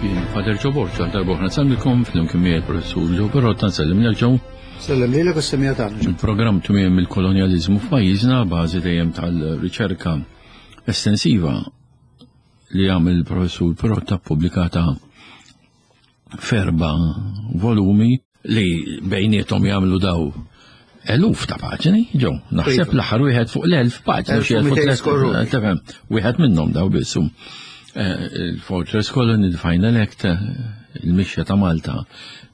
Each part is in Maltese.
Jien Fader Joe Borg, għal darba oħra nsellmilkom flimkien miegħi il-Professur Joe Perrotta nsellimlek Joe. Sellem lilek u s-semija tagħna. Il-programm tmiem il-kolonjaliżmu f'pajjiżna bażi dejjem tal-riċerka estensiva li għamel il-professur Perotta pubblikata ferba volumi li bejnietom jagħmlu daw eluf ta' paġni, ġew, naħseb iva. l-aħħar wieħed fuq l-elf paġni, xi elf wieħed minnhom daw biss. Eh, il-Fortress Colony, the Final Act, eh, il-mixja ta' Malta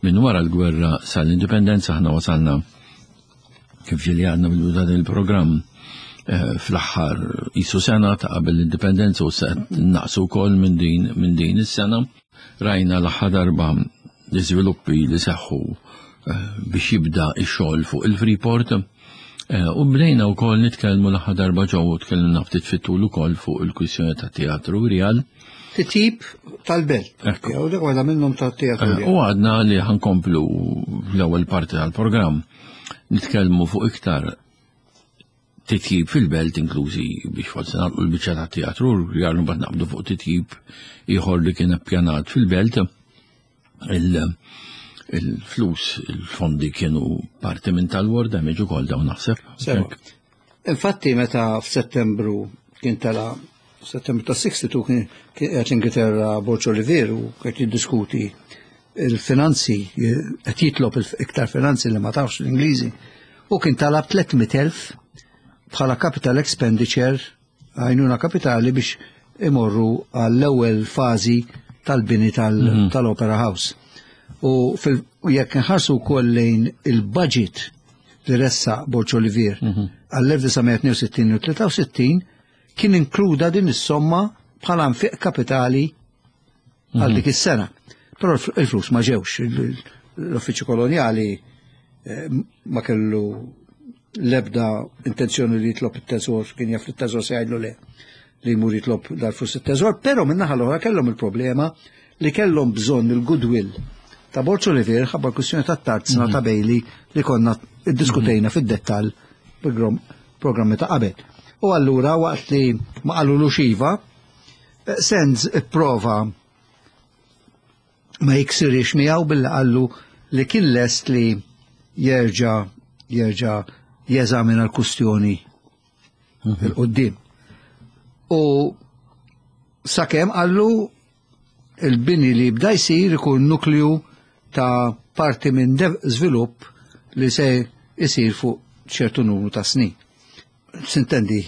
minn wara l-gwerra sal-indipendenza ħna wasalna kif ġieli għadna bil dan il-programm eh, fl-aħħar jisu sena ta' qabel l-indipendenza u se naqsu wkoll minn din minn din is-sena. Rajna l-aħħar darba l-iżviluppi li seħħu eh, biex jibda x-xogħol fuq il-Freeport. Eh, u bdejna wkoll nitkellmu l-aħħar darba ġew tkellimna ftit fit-tul ukoll fuq il-kwistjoni ta' teatru Real. Titjib tal-belt. Jew dak waħda minnhom tat-teatru. U għadna li ħankomplu l-ewwel parti tal-programm nitkellmu fuq iktar titjib fil-belt inklużi biex forsi nagħlqu l-biċċa tat-teatru rjar mbagħad naqbdu fuq titjib ieħor li kien appjanat fil-belt. Il-flus, il-fondi kienu parti minn tal-war damage ukoll dawn naħseb. Infatti meta f'Settembru kien tela Settembru ta' 62 kien qiegħed l-Ingilterra Borġ Olivier u qed jiddiskuti il-finanzi, qed jitlob iktar finanzi li ma tafx l-Ingliżi, u kien talab 300,000 bħala capital expenditure għajnuna kapitali biex imorru għall-ewwel fażi tal-bini mhm. tal-Opera House. U jekk nħarsu wkoll lejn il-budget li ressa Borġ Olivier mhm. għall-1962 u 63 kien inkluda din is-somma bħala nfiq kapitali għal mhm. dik is-sena. Però il-flus ma ġewx, l-uffiċċju kolonjali eh, ma kellu l-ebda intenzjoni li jitlob it-teżor, kien jaf li t-teżor se jgħidlu le li jmur jitlob dal-flus it-teżor, però minnaħa l-oħra kellhom il-problema li kellhom bżonn il-goodwill ta' Borċ Olivier ħabba l-kwistjoni ta' tarzna mhm. ta' Bailey li konna iddiskutejna mhm. fid-dettall programmi ta' qabel. U allura waqt li ma qalulux iva, eh, Sands ipprova ma jiksirix miegħu billi qallu li kien lest li jerġa' jerġa' jeżamina l-kustjoni mhm. il-qoddim. U sakemm qallu il-bini li jibda jsir ikun nukliju ta' parti minn żvilupp li se jsir fuq ċertu numru ta' snin. Sintendi,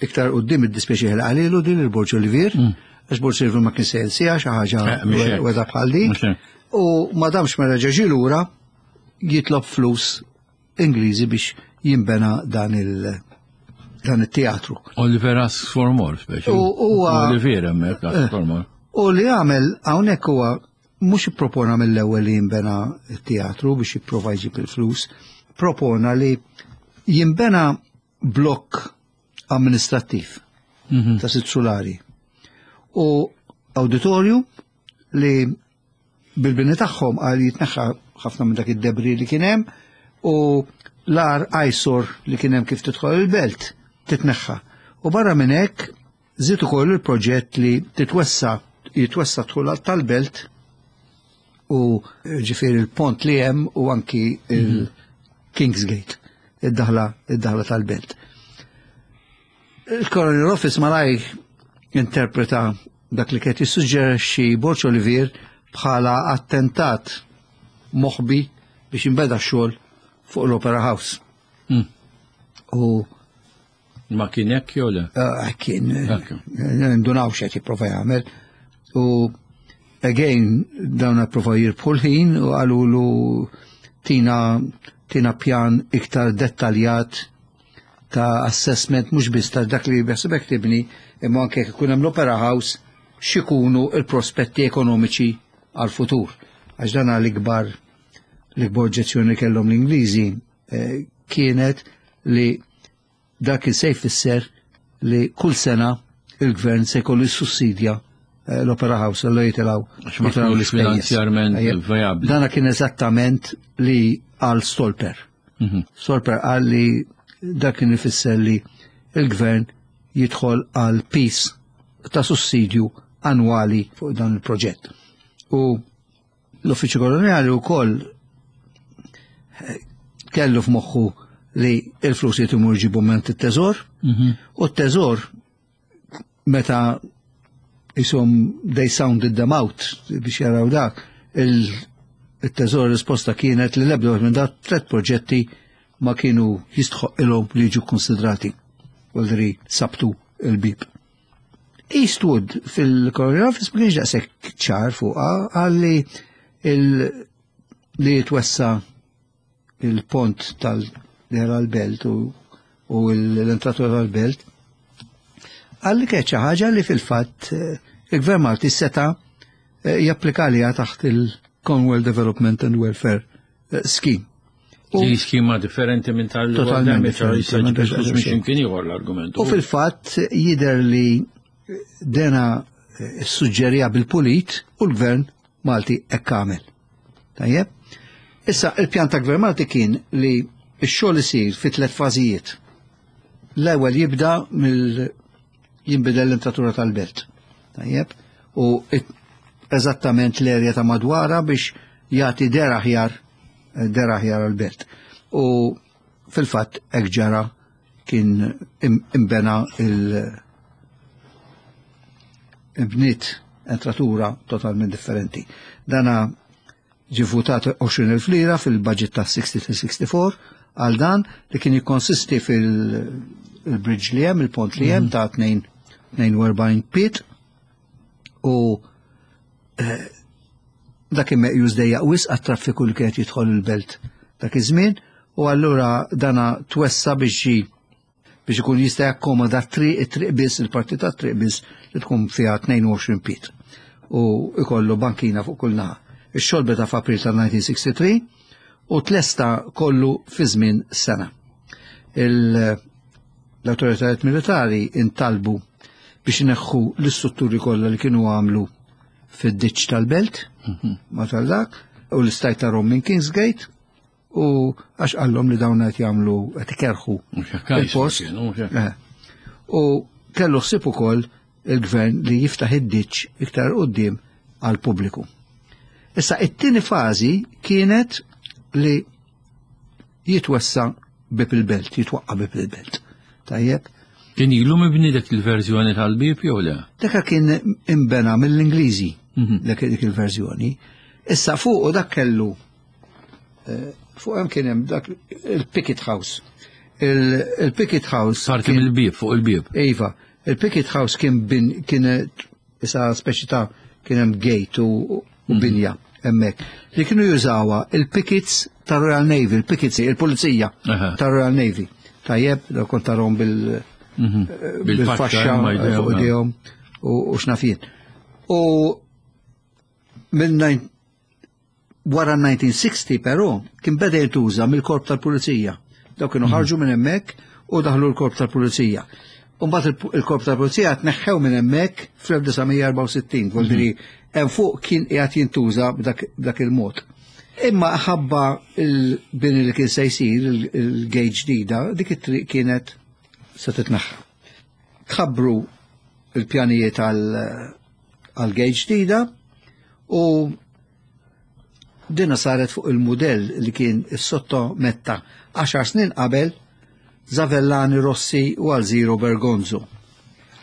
iktar qudiem id-dispjaċi li qalilu din il-Borġ Olivier, mm. għax Borġ Olivier ma kien se jinsija xi ħaġa eh, weda bħal di. U ma damx ma reġa' lura jitlob flus Ingliżi biex jimbena dan il- dan it-teatru. Oliver asks for more, speċi. U Oliver hemmhekk asks eh, for more. U li għamel hawnhekk huwa mhux ippropona mill-ewwel li jimbena t-teatru biex jipprova jġib il-flus, propona li jimbena blokk amministrattiv mm -hmm. ta' sitt sulari u auditorium li bil-bini tagħhom għal jitneħħa ħafna minn dak id-debri li kien hemm u l-ar ajsor li kien hemm kif tidħol il-belt titneħħa. U barra minn hekk żied ukoll il-proġett li titwessa jitwessa dħul tal-belt u ġifieri il-pont li hemm u anki il-Kingsgate, id-daħla id-daħla tal-belt. Il-Colonial Office malaj interpreta dak li kien jissuġġerixxi Borġ Olivier bħala attentat moħbi biex jinbeda x-xogħol fuq l-Opera House. Mm. U Ma kien hekk jew le? Eh, kien, eh, ndunaw x'qed jipprova jagħmel. U again dawn approva jirbħu l-ħin u qalulu tina tina pjan iktar dettaljat ta' assessment mhux biss ta' dak li beħsibek tibni imma anke jekk ikun hemm l-Opera House x'ikunu l-prospetti ekonomiċi għal-futur. Għax dan l-ikbar l-ikbar oġġezzjoni kellhom l-Ingliżi eh, kienet li dak se jfisser li kull sena il-gvern se jkollu jissussidja eh, l-Opera House li jitilaw jitilaw l-finanzjarment viabli. Dana kien eżattament li għal Stolper. Mhm. Stolper qal li dak kien ifisser li il-gvern jidħol għal peace ta' sussidju. annwali fuq dan il-proġett. U l-Uffiċċju Koloniali wkoll eh, kellu f'moħħu li il-flus jitimur ġibu minn it-teżor mhm. u t-teżor meta jisom they sounded them out biex jaraw dak, il-teżor risposta kienet li l-ebda minn dat tlet proġetti ma kienu jistħoq ilhom li jiġu konsidrati. Għaldri sabtu il-bib. Eastwood fil-Colonial Office ma kienx daqshekk ċar fuqha għalli li jitwessa il-pont tal-dera l-belt u l-entratura tal-belt, għalli kienet xi ħaġa li fil-fatt eh, il-Gvern Malti seta' eh, japplika għaliha taħt il-Commonwealth Development and Welfare eh, Scheme. Li skema differenti minn tal Totalment differenti. l-argument. U fil-fatt jider li dena suġġerija bil-pulit u l-gvern Malti hekk għamel. Tajjeb? Issa, il-pjan ta' Gvern Malti kien li x-xogħol isir fi tliet fażijiet. L-ewwel jibda mill jinbidel l-entratura tal-belt. Tajjeb? U eżattament l-erja ta' madwara biex jagħti der aħjar der aħjar għall-belt. U fil-fatt hekk ġara kien imbena il- bniet entratura totalment differenti. Dana ġi votat 20.000 lira fil-budget ta' 63-64 għal dan li kien jikkonsisti fil-bridge li hemm, il-pont li hemm mhm. ta' 42 pit u eh, dak kien meqjus dejjaq wisq għat-traffiku li kienet jidħol il-belt dak iż-żmien u allura dana twessa biex biex ikun jista' jakkomoda triq it-triq biss il-parti ta' triq biss li tkun fiha 22 pit u ikollu bankina fuq kull naħa. Ix-xogħol beda f'April tal-1963 u tlesta kollu fi żmien sena. L-awtoritajiet militari intalbu biex ineħħu l-istrutturi kollha li kienu għamlu fid-ditx tal-belt, mhm. ma tal-dak, u l-istajt ta' minn Kingsgate, u għax qallhom li dawn qed jagħmlu qed ikerħu il-post. Eh. U kellu ħsieb ukoll il-gvern li jiftaħ id-ditx iktar qudiem għal pubbliku. Issa it-tieni fażi kienet li jitwessa bib il-belt, jitwaqqa bib il-belt. Tajjeb. Kien ilu mibni dik il-verżjoni tal-bib jew le? Dak kien imbena mill-Ingliżi mhm. dik il-verżjoni. Issa fuq dak kellu eh, fuq hemm kien hemm dak il-Picket House. Il-Picket House. Parti mill-bib fuq il-bib. Iva, il-Picket House kien bin kien issa speċi ta' kien hemm gate u mhm. binja hemmhekk. Li kienu jużawha il-pickets ta' Royal Navy, il-pickets, il-pulizija ta' Royal Navy. Tajjeb, da kont tarhom bil mhm. eh, bil-faxxa fuq idejhom u xnafien. U minn Wara 1960 però kien beda jintuża mill-korp tal-pulizija. Dawk kienu mhm. ħarġu minn hemmhekk u daħlu l-korp tal-pulizija. Umbagħad il-korp tal-pulizija tneħħew minn hemmhekk fl-1964, vuol mhm. hemm fuq kien qiegħed jintuża b'dak il-mod. Imma ħabba il-bini li kien se jsir il-gate ġdida, dik it-triq kienet se titneħħa. Tħabbru il-pjanijiet għal gate ġdida u Dina saret fuq il-mudell li kien issottometta għaxar snin qabel Zavellani Rossi u Alziro Bergonzo.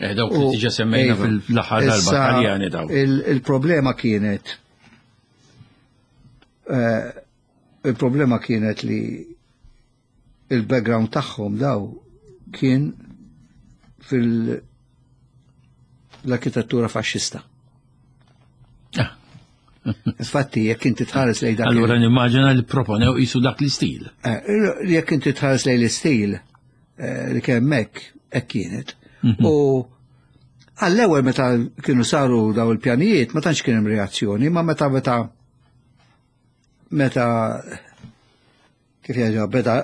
Eh, dawk li diġa semmejna iva, fil-aħħar darba Taljani dawk. Il-problema kienet eh, il-problema kienet li il-background tagħhom daw kien fil l-arkitettura faxxista. Ah. Infatti, jekk inti tħares lejn dak. Allura nimmaġina li proponew qisu dak l-istil. Eh, jekk inti tħares lejn l-istil eh, li kemm hekk hekk kienet. Mhm. U għall-ewwel meta kienu saru daw il-pjanijiet ma tantx kien hemm reazzjoni, ma meta meta meta kif jgħidu beda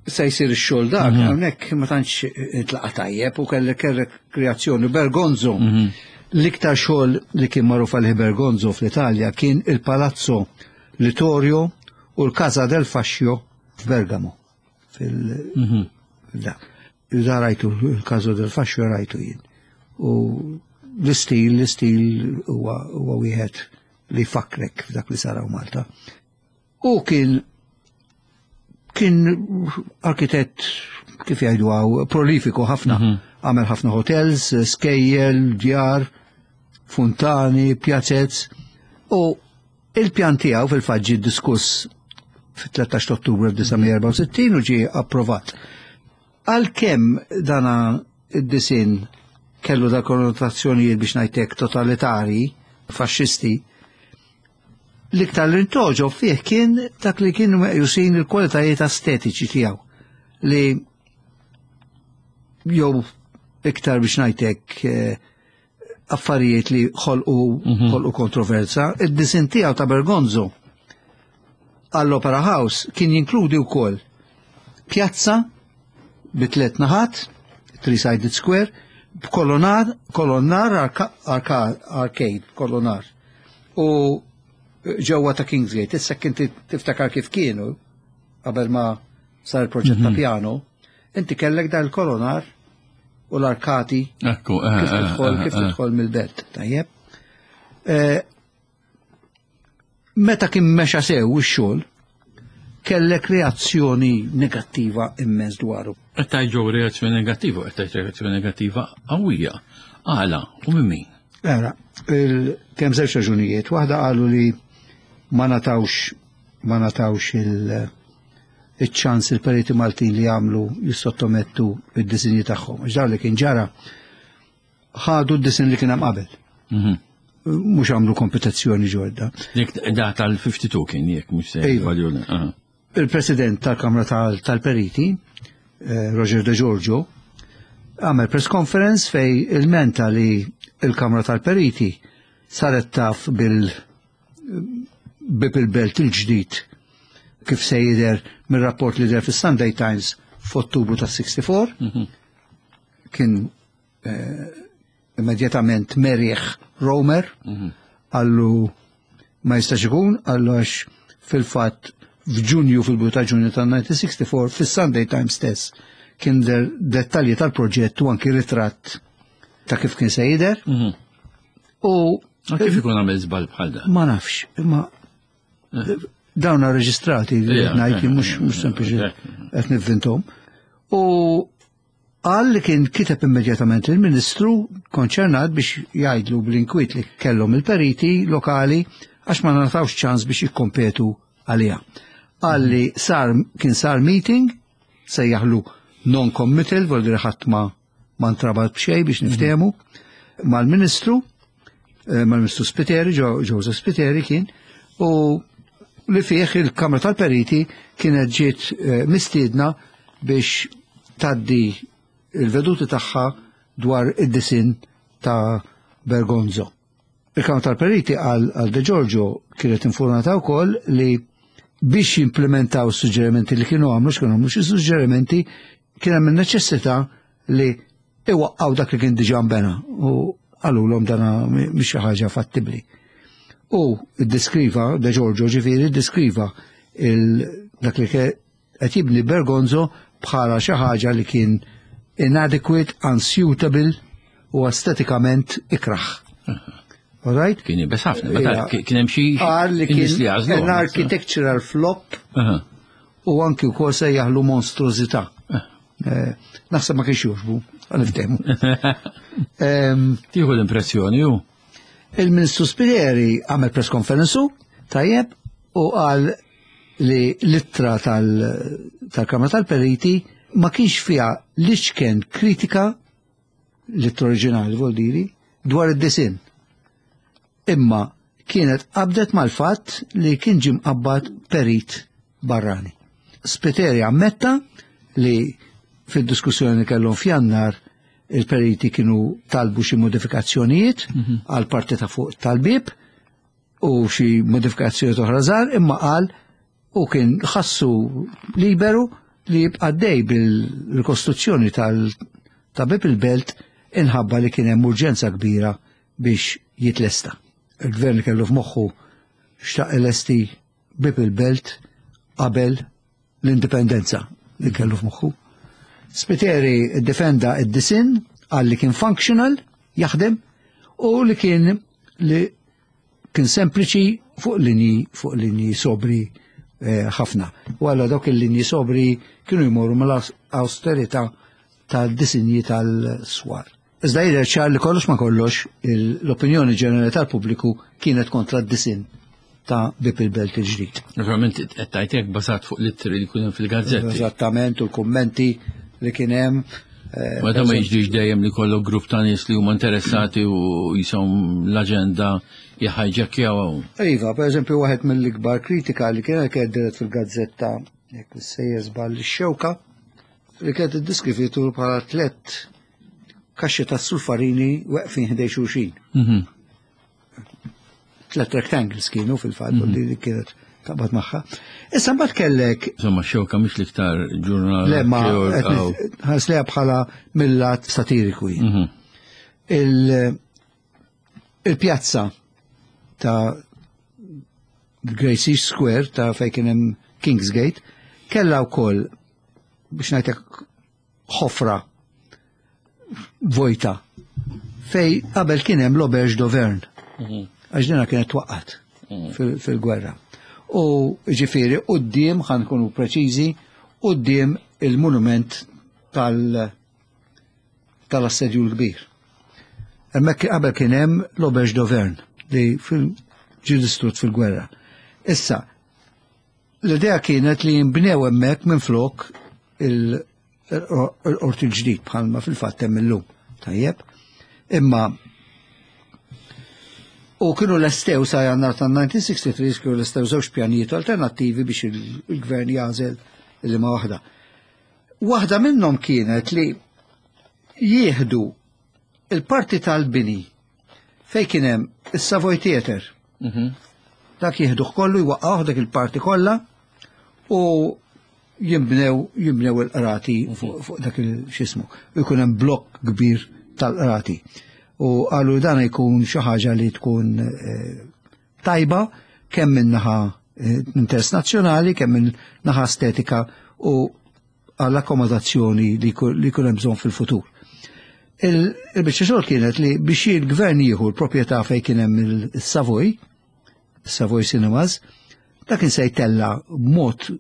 se jsir ix-xogħol dak, mhm. hawnhekk ma tantx intlaqa' tajjeb u kellek kellek kreazzjoni Bergonzo. Mhm. L-iktar xogħol li kien magħruf għalih Bergonzo fl-Italja kien il-Palazzo Littorio u l-Casa del Fascio f'Bergamo. Fil mhm. Da rajtu il-Casa del Fascio rajtu jien. U L-istil, l-istil huwa wieħed li fakrek f'dak li saraw Malta. U kien kien arkitett kif jgħidu għaw prolifiku ħafna. Għamel ħafna hotels, skejjel, djar, funtani, pjazez. U il-pjan tiegħu fil-fatt ġie diskuss fit-13 Ottubru 1964 u ġie approvat. Għalkemm dana id-disin kellu da konnotazzjonijiet biex ngħidlek totalitari, faxxisti, l-iktar li ntoġob fih kien dak li kienu meqjusin il-kwalitajiet estetiċi tiegħu li jew iktar biex ngħidlek affarijiet li ħolqu ħolqu kontroversa. Id-disin tiegħu ta' Bergonzo għall-Opera House kien jinkludi wkoll pjazza bi tliet naħat, three-sided square, b'kolonar, kolonnar, arcade, kolonar. U ġewwa ta' Kingsgate, issa kien tiftakar kif kienu qabel ma sar il-proġett ta' piano, inti kellek dan il-kolonar u l-arkati Ekku, kif tidħol kif tidħol mill-belt, tajjeb. Meta kien mexa sew ix-xogħol, kellek reazzjoni negattiva immens dwaru. Qed tgħid reazzjoni negattiva, qed tgħid reazzjoni negattiva qawwija. Għala, u minn min? Era, kemm żewġ raġunijiet. Waħda qalu li ma natawx il-ċans il-periti Maltin li jagħmlu jissottomettu id-disinji tagħhom. Għax dawn li kien ġara ħadu d-disin li kien hemm qabel. Mhux għamlu kompetizzjoni ġodda. Dik da tal-52 kien jekk mhux se Iva. Il-President tal-Kamra tal-Periti, Roger De Giorgio, għamel press conference fej ilmenta li il-Kamra tal-Periti saret taf bil bib il-belt il-ġdid kif se jidher mir-rapport li deher fis-Sunday Times f'Ottubru ta' 64. Kien immedjatament merieħ Romer, qallu ma jistax ikun, qallu għax fil-fatt f'Ġunju, fil-bidu ta' Ġunju ta' 1964, fis-Sunday Times stess kien der dettalji tal-proġett u anki ritratt ta' kif kien se jidher. U Ma kif ikun għamel żball bħal dan? Ma nafx, imma dawn reġistrati li ngħid mhux sempliċi qed nivvintom. U qal li kien kiteb immedjatament il-Ministru konċernat biex jgħidlu bl-inkwiet li kellhom il-periti lokali għax ma ngħatawx ċans biex jikkompetu għaliha. Qal li kien sar meeting, sejjaħlu non-committal, vol dire ħadd ma ntrabat b'xejn biex niftehmu, mal-Ministru Spiteri, Joseph Spiteri kien, u li fih il-Kamra tal-Periti kienet ġiet mistiedna biex taddi il-veduti tagħha dwar id-disin ta' Bergonzo. Il-Kamra tal-Periti għal De Giorgio kienet informata wkoll li biex jimplementaw suġġerimenti li kienu għamlu, x'kienu għamlu xi suġġerimenti, kien hemm in-neċessità li iwaqqgħu dak li kien diġà nbena u qalulhom dana mhix xi ħaġa fattibbli. U ddiskriva, De Giorgio ġifieri, ddiskriva dak li qed jibni Bergonzo bħala xi ħaġa li kien inadequate, unsuitable u estetikament ikraħ. All right? Kien jibes ħafna, meta kien hemm xi Qal li nies kien li għażlu. an architectural flop u anki wkoll sejjaħlu monstrużità. Naħseb ma kienx jogħġbu, għal-ftehmu. Tieħu l-impressjoni ju. Il-Ministru Spiteri għamel press conference tajjeb u qal li l-ittra tal-Kamra tal-Periti ma kienx fiha l-iċken kritika, l-ittra oriġinali vol diri, dwar id-disin. Imma kienet qabdet mal-fatt li kien ġie mqabbad perit barrani. Spiteri ammetta li fid-diskussjoni li kellhom f'Jannar il-periti kienu talbu xi modifikazzjonijiet għal parti ta' fuq tal-bib u xi modifikazzjonijiet oħra żgħar, imma qal u kien ħassu liberu li jibqa' dej bil-rikostruzzjoni ta' bib il-belt inħabba li kien hemm urġenza kbira biex jitlesta. Il-gvern li kellu f'moħħu xtaq ilesti bib il-belt qabel l-indipendenza li kellu f'moħħu. Spiteri defenda id-disin, qal li kien functional, jaħdem, U li kien li kien sempliċi fuq linji fuq linji sobri eh, ħafna. U għalla dawk il-linji sobri kienu jmorru mal-austerità tal-disinji tal-swar. Iżda jidher ċar li kollox ma kollox l-opinjoni ġenerali tal-pubbliku kienet kontra d-disinn ta' Bib il-Belt il-ġdid. Naturalment qed tgħid bażat fuq l-ittri li kien hemm fil-gazzetti. Eżattament u l-kummenti li kien hemm. Eh, ma ma jiġrix dejjem li kollok grupp ta' nies li huma interessati u jisom l-aġenda jħajġekjaw. Iva, per eżempju, waħed mill-ikbar kritika li kienet kienet fil-gazzetta jekk sejjer żball ix-xewka li kienet iddeskrivitu bħala tlett kaxxi ta' sulfarini weqfin ħdej xulxin. Mhm. Tlet rectangles kienu fil-fatt mm -hmm. li kienet taqbad magħha. Issa mbagħad kellek. Insomma xewka mhix l-iktar ġurnal. Le ma ħares leha bħala mill-lat satiriku. Mhm. Il-pjazza ta' Gracie Square ta' fejn kien hemm Kingsgate kellha wkoll biex ngħidlek ħofra vojta fej qabel kien hemm l-Auberge d'Auvergne. Mhm. Għax dina kienet twaqqat mhm. fil-gwerra. U ġifieri quddiem ħa nkunu preċiżi, quddiem il-monument tal- tal-assedju l-kbir. Hemmhekk qabel kien hemm l-Auberge d'Auvergne li ġie distrutt fil-gwerra. Issa, L-idea kienet li jinbnew hemmhekk minflok il-qorti l-ġdid bħalma fil-fatt hemm illum. Tajjeb. Imma u kienu lestew sa jannar ta' 1963 kienu lestew żewġ pjanijiet alternattivi biex il-gvern jażel li ma waħda. Waħda minnhom kienet li jieħdu il-parti tal-bini fej kien hemm is-Savoy Theatre. Mhm. Dak jieħduh kollu jwaqqgħuh dak il-parti kollha u jimbnew jimbnew il-qrati mhm. fuq dak il-xismu. U jkun hemm blokk kbir tal-qrati. U qalu dan jkun xi ħaġa li tkun eh, tajba kemm minn naħa eh, interess nazzjonali, kemm minn naħa estetika u għall-akkomodazzjoni li jkun hemm bżonn fil-futur. Il-biċċa xogħol kienet li biex il-gvern jieħu l-proprjetà fejn kien hemm il-Savoy, Savoy Cinemas, dak kien se jtella b'mod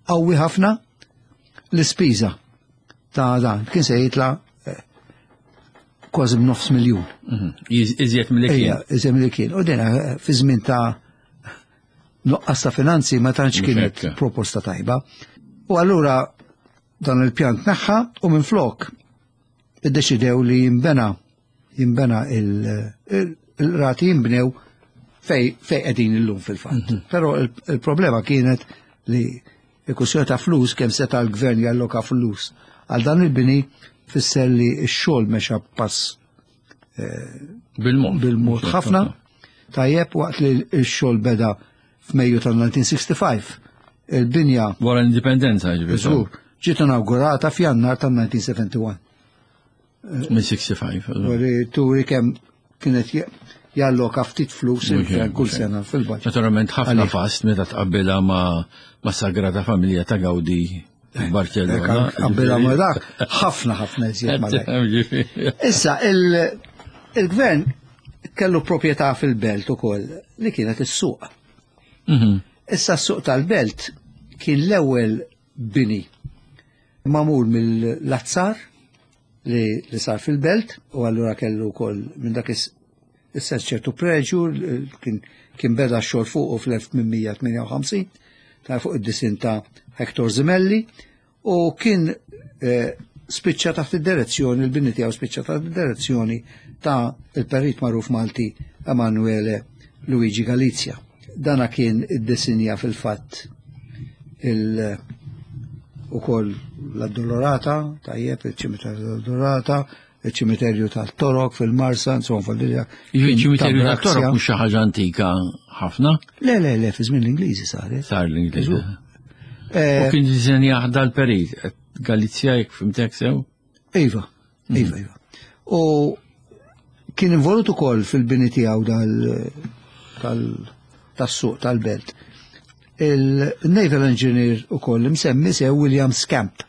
qawwi ħafna l-ispiża ta' dan, kien se jitla eh, kważi b'nofs miljun. Mhm. Iżjed mill kien. Iżjed mill kien. U dina eh, fi żmien ta' nuqqas ta' finanzi ma tantx kienet proposta tajba. U allura dan il-pjan tneħħa u minflok iddeċidew li jimbena jimbena il-rati jimbnew fej fej qegħdin illum fil-fatt. Mhm. Però il-problema kienet li il-kwestjoni ta' flus kemm seta' l-gvern jalloka flus għal dan il-bini fisser li x-xogħol mexa pass eh, bil-mod. Bil-mod ħafna. Tajjeb waqt li x-xogħol beda f'Mejju tal-1965. Il-binja. Wara l-indipendenza ġifieri. Ġiet inaugurata f'Jannar tal-1971. Minn 65. Turi turi kemm kienet jalloka ftit flus il-gvern kull sena fil-budget. Naturalment ħafna fast meta tqabbilha ma' Sagrada Familja ta' Gaudi Barcellona. Qabbilha ma' dak, ħafna ħafna iżjed ma' dak. Issa, il-gvern kellu proprjetà fil-belt ukoll li kienet is-suq. Mhm. Issa s-suq tal-belt kien l-ewwel bini magħmul mill-azzar li, li sar fil-belt u allura kellu wkoll minn dak is-sens ċertu preġu kien, kien beda x-xogħol fuqu fl-1858 ta' fuq id-disin ta' Hector Zimelli u kien eh, spiċċa taħt id-direzzjoni, il-bini tiegħu spiċċa taħt id-direzzjoni ta' il-perit magħruf Malti Emanuele Luigi Galizia. Dana kien iddisinja fil-fatt il ukoll l-Addolorata, tajjeb, il-ċimiterju tal-Addolorata, il-ċimiterju tal-Torok fil-Marsa, insomma fil-Lilja. Il-ċimiterju tal-Torok mhux xi ħaġa antika ħafna? Le, le, le, fi żmien l-Ingliżi saret. Sar l-Ingliżi. Eh, U kien disinja dal-perit, Galizja jekk fimtek sew? Iva, iva, iva. U kien involut ukoll fil-bini tiegħu dal tas-suq tal-belt. Il-naval engineer ukoll imsemmi sew William Scamp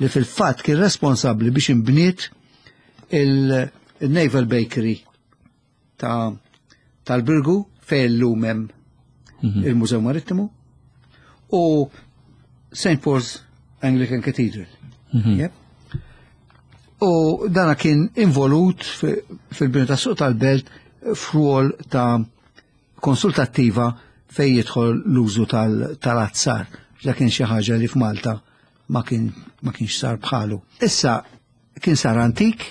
li fil-fatt kien responsabbli biex imbniet il-Naval Bakery. ta' tal-Birgu fejn illum hemm il-Mużew Marittimu u St. Paul's Anglican Cathedral. Yep. U dana kien involut fil-bini ta' suq tal-belt f'rwol ta' konsultattiva fej jidħol l-użu tal-azzar. Da kien xi ħaġa li f'Malta ma kien ma kienx sar bħalu. Issa kien sar antik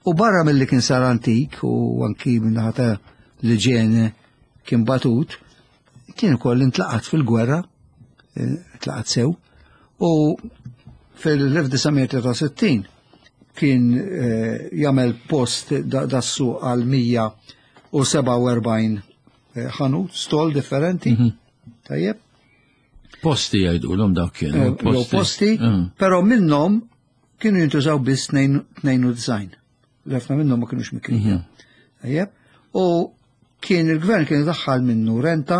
u barra mill-li kien sar antik u anki minnaħa ta' l-iġene kien batut, kien ukoll intlaqat fil-gwerra, intlaqat sew, u fil-1963 kien jagħmel post dassu għal 147 ħanut, stol differenti, tajjeb. Posti jgħidulhom dawk kienu. Jew posti, però minnhom kienu jintużaw biss 92. Ħafna minnhom ma kienux mikrija. Tajjeb. U kien il-gvern kien daħħal minnu renta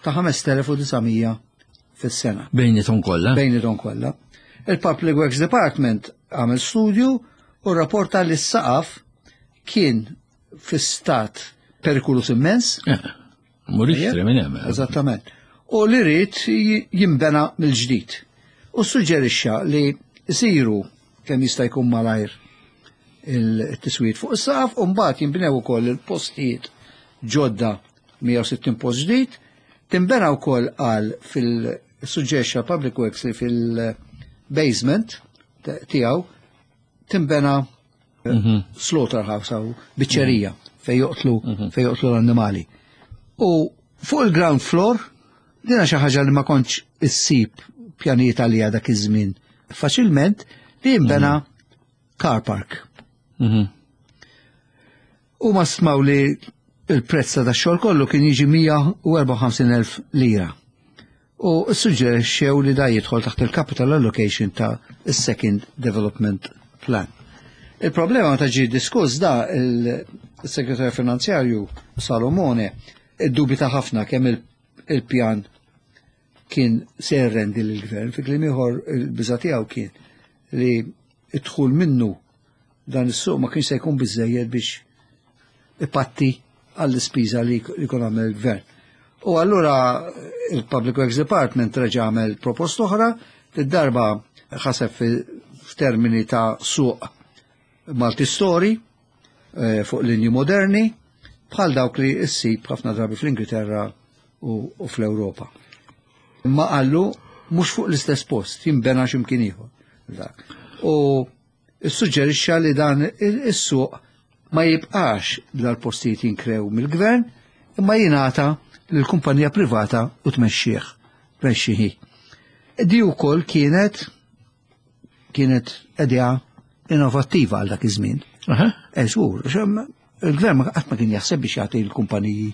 ta' 5900 fis-sena. Bejnietom kollha? Bejnietom kollha. Il-Public Works Department għamel studju u rapporta li s-saqaf kien fi stat perikolus immens. Mur ixtri minn hemm. Eżattament. U li rrid jinbena mill-ġdid. U suġġerixxa li jsiru kemm jista' jkun malajr il-tiswiet fuq is-saqaf u mbagħad jinbnew ukoll il-postijiet ġodda 160 post ġdid, tinbena wkoll għal fil-suġġerixxa Public Works li fil-basement tiegħu tinbena slaughterhouse jew biċċerija fejn joqtlu fejn joqtlu l-annimali. U fuq il-ground floor dina xi ħaġa li ma kontx issib pjanijiet għalija dak iż-żmien faċilment li jinbena car park. U ma stmaw li il-prezz ta' xogħol kollu kien jiġi 154,000 lira. U suġġerixxew li da jidħol taħt il-capital allocation ta' second development plan. Il-problema ta' ġi diskuss da il-segretarju finanzjarju Salomone iddubita ħafna kemm il-pjan kien se jirrendi lill-gvern, fi kliem ieħor il-biża' tiegħu kien li id-dħul minnu dan is-suq ma kienx se jkun biżejjed biex ipatti għall-ispiża li jkun għamel il-gvern. U allura il-Public Works Department reġa' għamel proposta oħra, darba ħaseb f'termini ta' suq multi-story fuq linji moderni bħal dawk li issib ħafna drabi fl-Ingilterra u fl-Ewropa. Ma qallu mhux fuq l-istess post, jinbena x'imkien ieħor. Dak. U suġġerixxa li dan is-suq ma jibqax dal-postijiet jinkrew mill-gvern, imma jingħata lill-kumpanija privata u tmexxih, tmexxihi. Di wkoll kienet kienet idea innovattiva għal dak iż-żmien. Żgur, il-gvern ma qatt ma kien jaħseb biex jagħti l-kumpaniji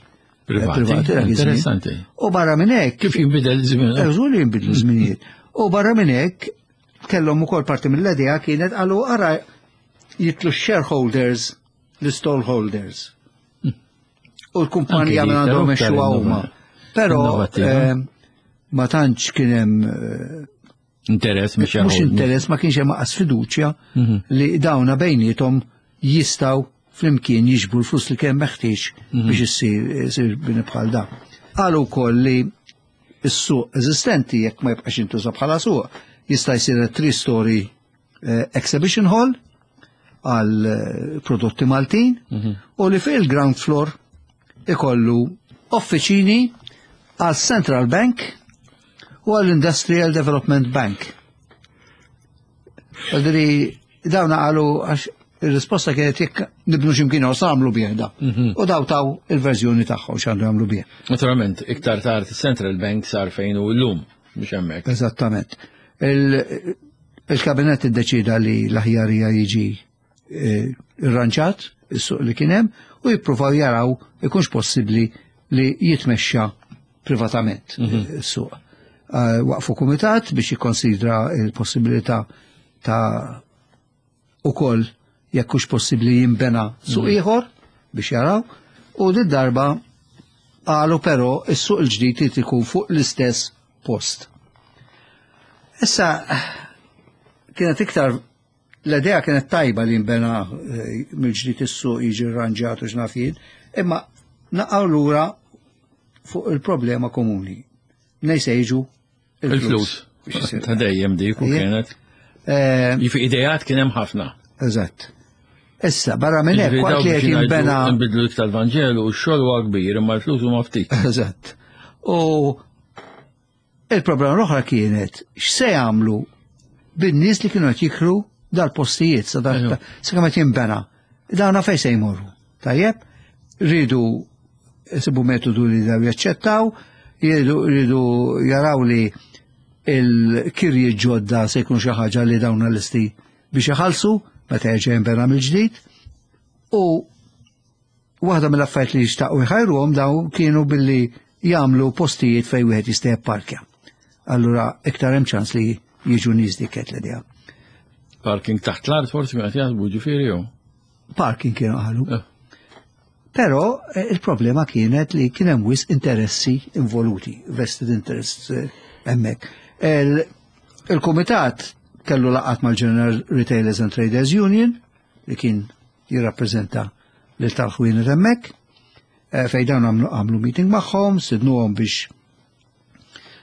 privati. dak iż-żmien. Interessanti. U barra minn hekk. Kif jinbidel iż-żmien? Żgur li jinbidlu żminijiet. U barra minn hekk kellhom ukoll parti mill-idea kienet qalu ara jitlu shareholders, l-stallholders. U l-kumpanija Anke minn għandhom iktar mexxuha huma. Però innovattiva. ma tantx kien hemm interess mhux mhux interess, ma kienx hemm aqas fiduċja li dawna bejniethom jistgħu flimkien jiġbru l-flus li kien meħtieġ biex issir bini bħal dan. Qalu wkoll li s-suq eżistenti jekk ma jibqax jintuża bħala suq jista' jsir three-story exhibition hall għal prodotti Maltin u li fil-ground floor ikollu offiċini għal Central Bank u għal Industrial Development Bank. Għadri, dawna qalu għax il-risposta kienet jekk nibnu x'imkien u għamlu bih da. U daw taw il-verżjoni tagħhom x'għandu jagħmlu bih. Naturalment, iktar tard Central Bank sar fejn hu llum biex hemmhekk. Eżattament. Il-kabinet iddeċida li l-aħjarija jiġi irranġat is-suq li kien hemm u jippruvaw jaraw ikunx possibbli li jitmexxa privatament is-suq. Waqfu kumitat biex jikkonsidra il-possibilità ta' ukoll jekk hux possibbli jinbena suq ieħor biex jaraw, u din darba qalu però is-suq il-ġdid irid ikun fuq l-istess post. Issa kienet iktar L-idea kienet tajba li jinbena eh, mill-ġdid is-suq jiġi rranġat u x'naf jien, imma naqgħu lura fuq il-problema komuni. Mnej se jiġu il-flus. Ta' dejjem dik u kienet. Eh, Jifi idejat kien hemm ħafna. Eżatt. Issa, barra minn hekk, waqt li qed jinbena. Nbidlu iktar Vanġelu u x-xogħol huwa kbir, imma l-flus huma ftit. Eżatt. U Il-problema l-oħra kienet x'se jagħmlu bin-nies li kienu qed jikru dal-postijiet sa kemm qed jinbena. Dawna fejn se jmorru. Tajjeb, rridu jsibu metodu li daw jaċċettaw, rridu jaraw li il-kirji ġodda se jkun xi ħaġa li dawn l-listi biex iħallsu meta jerġa' jinbena mill-ġdid. U Waħda mill-affarijiet li xtaqu jħajruhom dawn kienu billi jagħmlu postijiet fejn wieħed jista' jipparkja. Allura iktar hemm ċans li jiġu nies dik qed l-idea. Parking taħt l-art forsi kien qed jaħsbu ġifieri jew? Parking kienu qalu. Eh. Però eh, il-problema kienet li kien hemm wisq interessi involuti, vested interests eh, hemmhekk. Il-kumitat kellu laqat mal-General Retailers and Traders Union li kien jirrappreżenta lil tal-ħwienet hemmhekk, eh, fejn dawn għamlu meeting magħhom, sidnuhom biex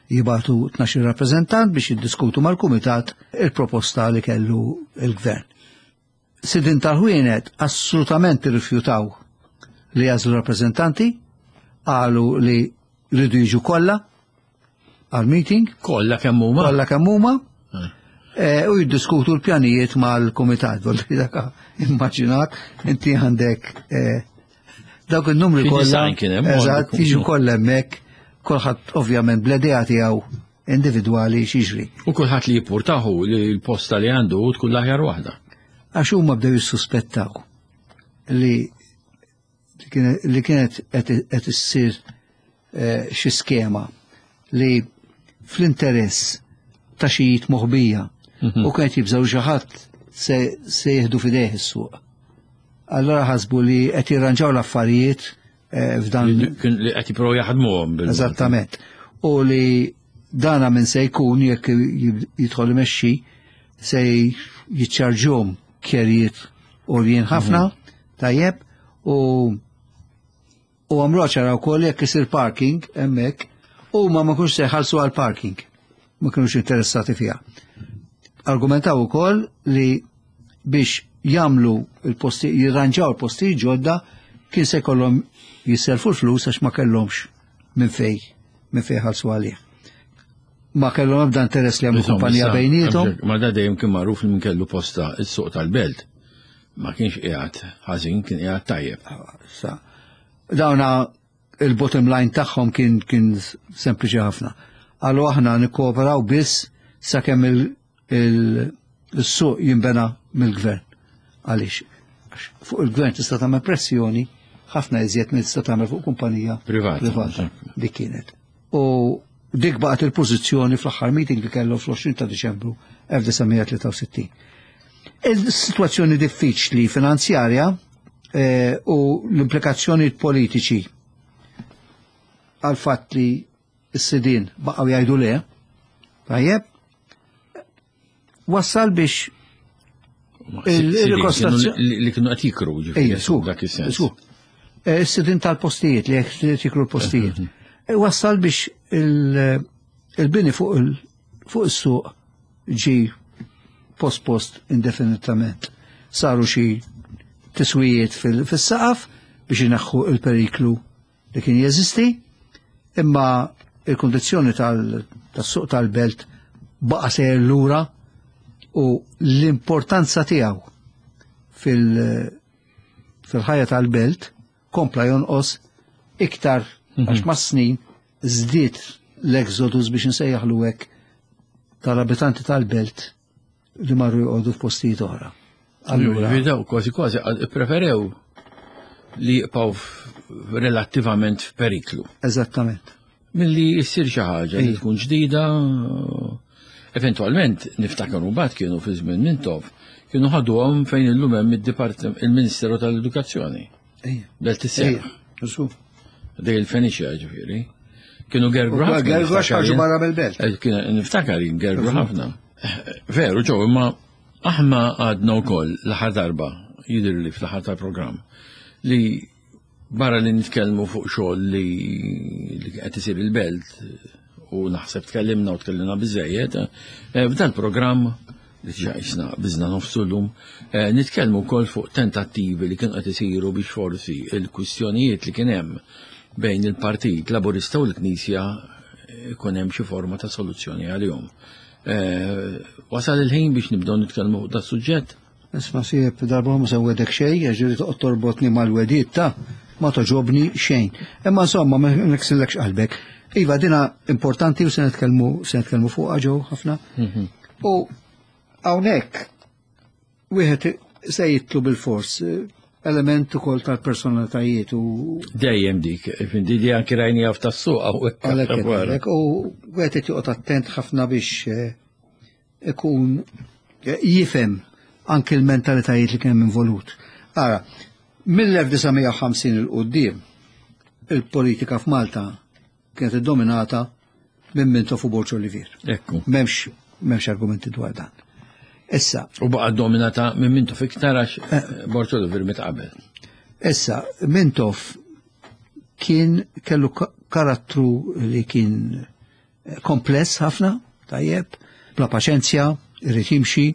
jibatu 12 rappreżentant biex jiddiskutu mal-kumitat il-proposta li kellu il-gvern. Sidin tal-ħwienet assolutament irrifjutaw li jażlu rappreżentanti, qalu li rridu jiġu kollha għal-meeting. Kollha kemm huma. Kollha kemm huma. Eh. Eh, u jiddiskutu l-pjanijiet mal-komitat, volli daka immaġinak, inti għandek eh, dawk il-numri kollha. Eżatt, jiġu kollha hemmhekk, kulħadd ovvjament bl-idea tiegħu individwali xiġri. U kulħadd li jippurtahu li l-posta li għandu tkun l-aħjar waħda. Għax huma bdew jissuspettaw li li kienet qed issir eh, xi skema li fl-interess ta' xi moħbija mhm. u kienet jibżgħu xi ħadd se jieħdu fidejh is-suq. Allora ħasbu li qed jirranġaw l-affarijiet eh, f'dan. Li qed jippruvaw jaħdmuhom. Eżattament. U li dana minn se jkun jekk jidħol imexxi se jiċċarġhom kjerijiet għoljien ħafna. Mhm. Tajjeb, u u għamlu ċara wkoll jekk isir parking hemmhekk, huma ma kunx se jħallsu għal parking. Ma kinux interessati fiha. Argumentaw ukoll li biex jagħmlu il-posti, jirranġaw il-posti ġodda kien se jkollhom jisselfu l-flus għax ma kellhomx minn fej minn fej ħallsu għalih. Ma kellhom ebda interess li għamlu kumpanija bejnietom. Ma da dejjem kien magħruf li minn kellu posta is-suq tal-belt. Ma kienx qiegħed ħażin, kien qiegħed tajjeb. Sa. Dawna il-bottom line tagħhom kien kien sempliċi ħafna. Qalu aħna nikkooperaw biss sakemm il-suq jinbena mill-gvern. Għaliex? Fuq il-gvern tista' tagħmel pressjoni ħafna iżjed minn tista' tagħmel fuq kumpanija privata. Dik kienet. U dik baqgħet il-pożizzjoni fl-aħħar meeting li kellu fl-20 ta' Diċembru 1963. Il-sitwazzjoni diffiċli finanzjarja eh, u l-implikazzjoni politiċi għal fatt li s-sidin baqgħu jgħidu le, tajjeb, wassal biex il-rikostrazzjoni li kienu qed jikru ġifieri dak is-sens. Eh, is-sidin tal-postijiet li qed jikru l-postijiet. Mhm. Eh, wassal biex il-bini fuq is-suq ġi post-post indefinitament. Saru xi tiswijiet fis-saqaf biex ineħħu il-periklu li kien jeżisti, imma il-kondizzjoni tas-suq tal-belt baqa' sejjer lura u l-importanza tiegħu fil-ħajja tal-belt kompla jonqos iktar mhm. għax mas-snin żdied l-exodus biex nsejjaħlu hekk tal-abitanti tal-belt li marru joqogħdu f'postijiet oħra. Allura, daw kważi kważi preferew li jibqgħu relattivament f'periklu. Eżattament. Milli jissir xi ħaġa li tkun ġdida, eventualment niftakar mbagħad kienu fi żmien Mintoff, kienu ħaduhom fejn illum hemm il-Ministeru tal-Edukazzjoni. Belt is-sena. Dej il-Feniċja ġifieri. Kienu gergru ħafna. Gergru għax ħarġu barra mill-belt. Eh, niftakar gergru ħafna. Eh, veru ġew imma. Aħna għadna wkoll l-aħħar darba, jidhirli fl-aħħar tal-programm, li barra li nitkellmu fuq xogħol li qed isir il-belt u naħseb tkellimna u tkellimna biżejjed, eh, f'dan programm li ġa jisna biżna nofsu llum, eh, nitkellmu wkoll fuq tentattivi li kienu qed isiru biex forsi il-kwistjonijiet li kien hemm bejn il-Partit Laburista u l-Knisja ikun hemm xi forma ta' soluzzjoni għalihom. Eh, wasal il-ħin biex nibdew nitkellmu fuq da suġġett? Isma' sieb darba ma se wedek xejn, ġieli toqgħod torbotni mal-wediet ta' ma toġobni xejn. Imma insomma ma niksillekx qalbek. Iva dina importanti u se nitkellmu se nitkellmu fuqha ġew ħafna. Mhm. U hawnhekk Wieħed se jitlu bil-fors element ukoll tal-personalitajiet u. Dejjem dik, di li anki rajni għaf tas-suq għalhekk. U wieħed qed joqgħod attent ħafna biex eh, ikun eh, jifhem anki l-mentalitajiet li kien hemm involut. Ara, mill-1950 il-qudiem il-politika f'Malta kienet iddominata minn Mintoff u Borg Olivier. Ekku. M'hemmx m'hemmx argumenti dwar dan. Issa. U baqa dominata minn Mintoff iktar għax eh, Borg Olivier mit qabel. Issa, Mintoff kien kellu karattru li kien eh, kompless ħafna, tajjeb, bla paċenzja, irrid jimxi,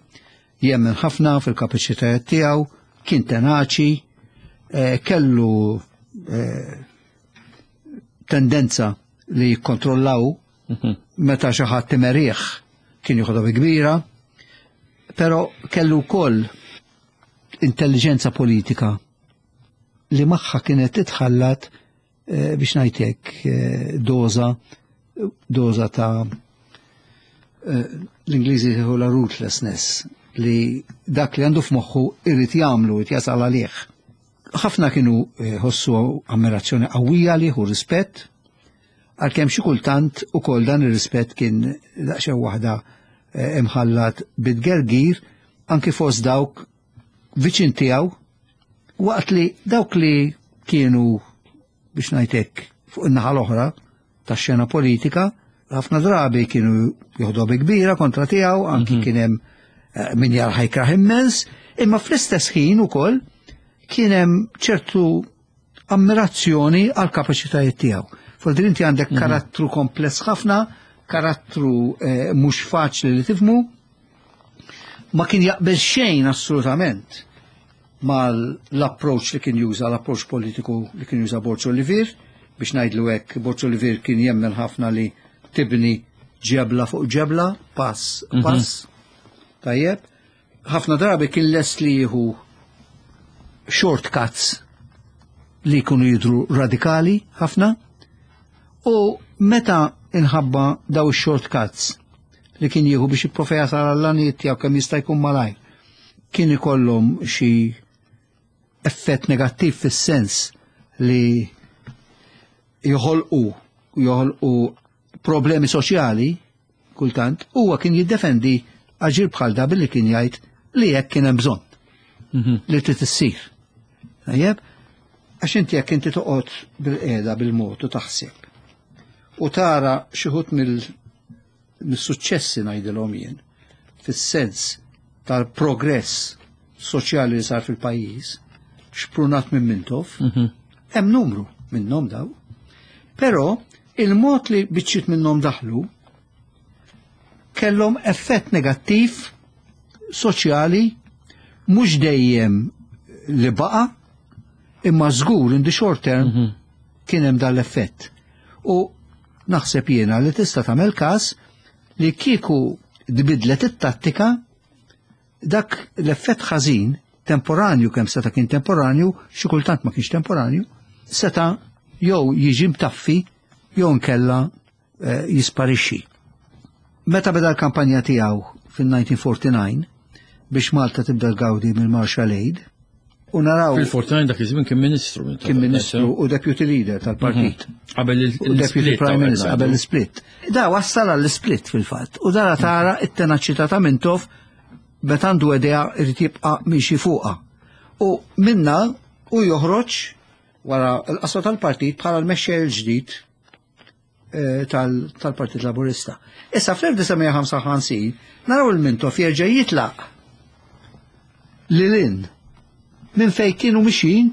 jemmen ħafna fil-kapaċitajiet tiegħu, kien tenaċi, eh, kellu tendenza li jikkontrollaw mhm. meta xi ħadd imerih kien joħodha bi kbira, però kellu wkoll intelligenza politika li magħha kienet titħallat eh, biex ngħidlek eh, doza doza ta' eh, l-Ingliżi jħu la ruthlessness li dak li għandu f'moħħu irrid jagħmlu, irid jasal għalih. Ħafna kienu eh, ħossu ammirazzjoni qawwija għalih u rispett, għalkemm xi kultant ukoll dan ir-rispett kien daqsxejn waħda eh, imħallat bit-gergir anki fost dawk viċin tiegħu waqt li dawk li kienu biex ngħid hekk fuq in-naħa l-oħra tax-xena politika, ħafna drabi kienu joħdu bi kbira kontra tiegħu, anki mhm. kien hemm eh, min jarħa jkraħ immens, imma fl-istess ħin ukoll kien hemm ċertu ammirazzjoni għal kapaċitajiet tiegħu. Fol inti għandek mhm. karattru kompless ħafna, karattru eh, mhux faċli li tifmu, ma kien jaqbel xejn assolutament mal-approach li kien juża, l-approach politiku li kien juża Borg Olivier, biex ngħidlu hekk, Borg Olivier kien jemmen ħafna li tibni ġebla fuq ġebla, pass, mhm. pass. Tajjeb. Ħafna drabi kien lest li jieħu shortcuts li jkunu jidru radikali ħafna u meta inħabba daw shortcuts li kien jieħu biex jipprova jasal għall-għanijiet tiegħu kemm jista' jkun malajr. Kien ikollhom xi effett negattiv fis-sens li joħolqu joħolqu problemi soċjali kultant, huwa kien jiddefendi aġir bħal da billi kien jgħid li hekk kien hemm bżonn mhm. li trid issir. Tajjeb, għax inti jekk inti toqgħod bil-qiegħda bil-mod u taħseb u tara xi ħut mill-suċċessi ngħidilhom jien fis-sens tal-progress soċjali li sar fil-pajjiż, xprunat minn Mintoff, mhm. hemm numru minnhom daw. Però il-mod li biċċiet minnhom daħlu kellhom effett negattiv soċjali mhux dejjem li baqa' imma żgur in the short term mhm. kien hemm dan l-effett. U naħseb jiena li tista' tagħmel każ li kieku tbidlet it-tattika dak l-effett ħażin temporanju kemm seta' kien temporanju, xi kultant ma kienx temporanju, seta' jew jiġi mtaffi jew nkella eh, jisparixxi. Meta beda l-kampanja tiegħu fil-1949 biex Malta tibda tgawdi mill-Marshall Aid, u naraw. Fil-49 dak iż-żmien kien ministru. Kien ministru u deputy leader tal-partit. Mhm. Qabel il-split. Prime Minister qabel l-split. Da wassal għall-split fil-fatt. U dara tara it-tenaċità ta' Mintoff meta għandu idea irid jibqa' miexi fuqha. U minna u joħroġ wara l-qasma tal-partit bħala l-mexxej il-ġdid eh, tal-Partit Laburista. Issa fl-1955 naraw il-Mintoff jerġa' jitlaq. lil hinn minn fejn kienu mixjin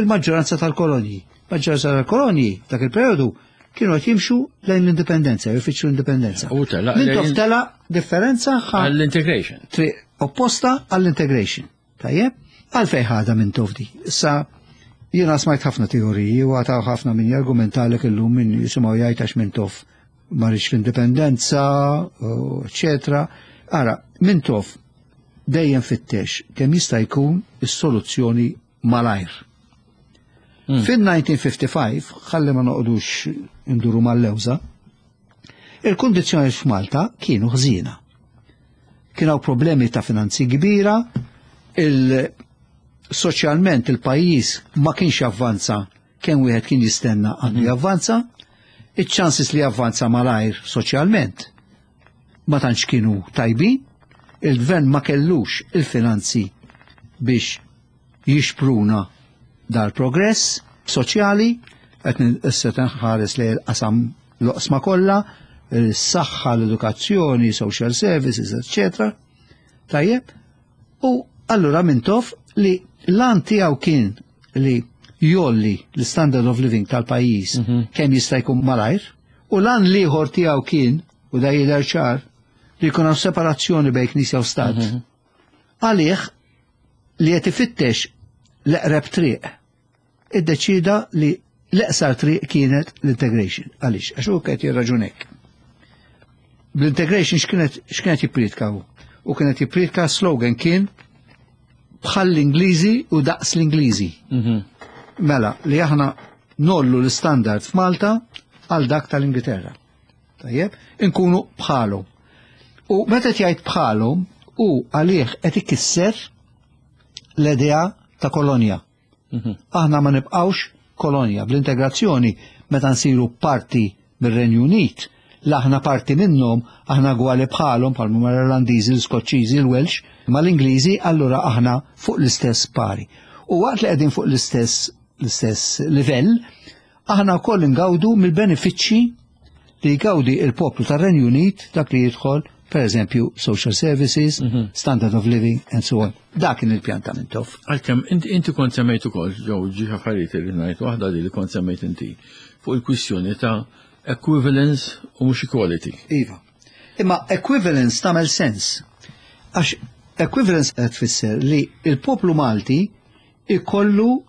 il-maġġoranza tal-kolonji. Maġġoranza tal-kolonji dak il-perjodu kienu qed jimxu lejn l-indipendenza, jfittxu l-indipendenza. U telaq Mintoff telaq differenza għall-integration. Triq opposta għall-integration. Tajjeb? Għalfejn ħadha Mintoff di. Issa jiena smajt ħafna teoriji u għataw ħafna min jargumentalek illum min jisimgħu jgħid għax Mintoff ma rridx l-indipendenza, eċetera. Ara, Mintoff dejjem fittex kemm jista' jkun is-soluzzjoni malajr. Fin-1955, ħalli ma noqogħdux induru mal-lewża, il-kundizzjoni f'Malta kienu ħżiena. Kien hawn problemi ta' finanzi kbira, il-soċjalment il-pajjiż ma kienx avvanza kemm wieħed kien jistenna għandu javvanza, iċ-chances li javvanza malajr soċjalment ma tantx kienu tajbin, il-gvern ma kellux il-finanzi biex jixpruna dal-progress soċjali, qed issa tinħares li l-qasam l-oqsma kollha, is-saħħa, l-edukazzjoni, social services, eccetera. Tajjeb, u allura Mintoff li l-għan tiegħu kien li jgħolli l-standard of living tal-pajjiż kemm jista' jkun malajr, u l-għan l-ieħor tiegħu kien, u da jidher ċar, li jkun hawn separazzjoni bejn Knisja u Stat. Għalih li qed ifittex l-eqreb triq, iddeċida li l-eqsar triq kienet l-integration. Għaliex? Għax hu kienet jirraġunek. Bl-integration x'kienet jippriedka hu? U kienet jippriedka slogan kien bħal l-Ingliżi u daqs l-Ingliżi. Mela, li aħna ngħollu l-standard f'Malta għal dak tal-Ingilterra. Tajjeb, inkunu bħalhom. U meta jgħid bħalhom, u għalih qed ikisser l-idea ta' kolonja. Aħna ma nibqgħux kolonja. Bl-integrazzjoni meta nsiru parti mir-Renju Unit, l aħna parti minnhom, aħna gwali bħalhom bħal huma l-Irlandiżi, l-Iskoċċiżi, l-Welsh, mal-Ingliżi, allura aħna fuq l-istess pari. U waqt li qegħdin fuq l-istess livell, aħna wkoll ingawdu mill-benefiċċji li jgawdi il-poplu tar-Renju Unit dak li jidħol, per eżempju, social services, standard of living, and so on. Dak kien il-pjan ta' Mintoff. Għalkemm inti kont semmejt ukoll, ġew ġi affarijiet li ngħid waħda li kont semmejt inti fuq il-kwistjoni ta' equivalence u mhux equality. Iva. Imma equivalence tagħmel sens. Għax equivalence qed tfisser li il-poplu Malti ikollu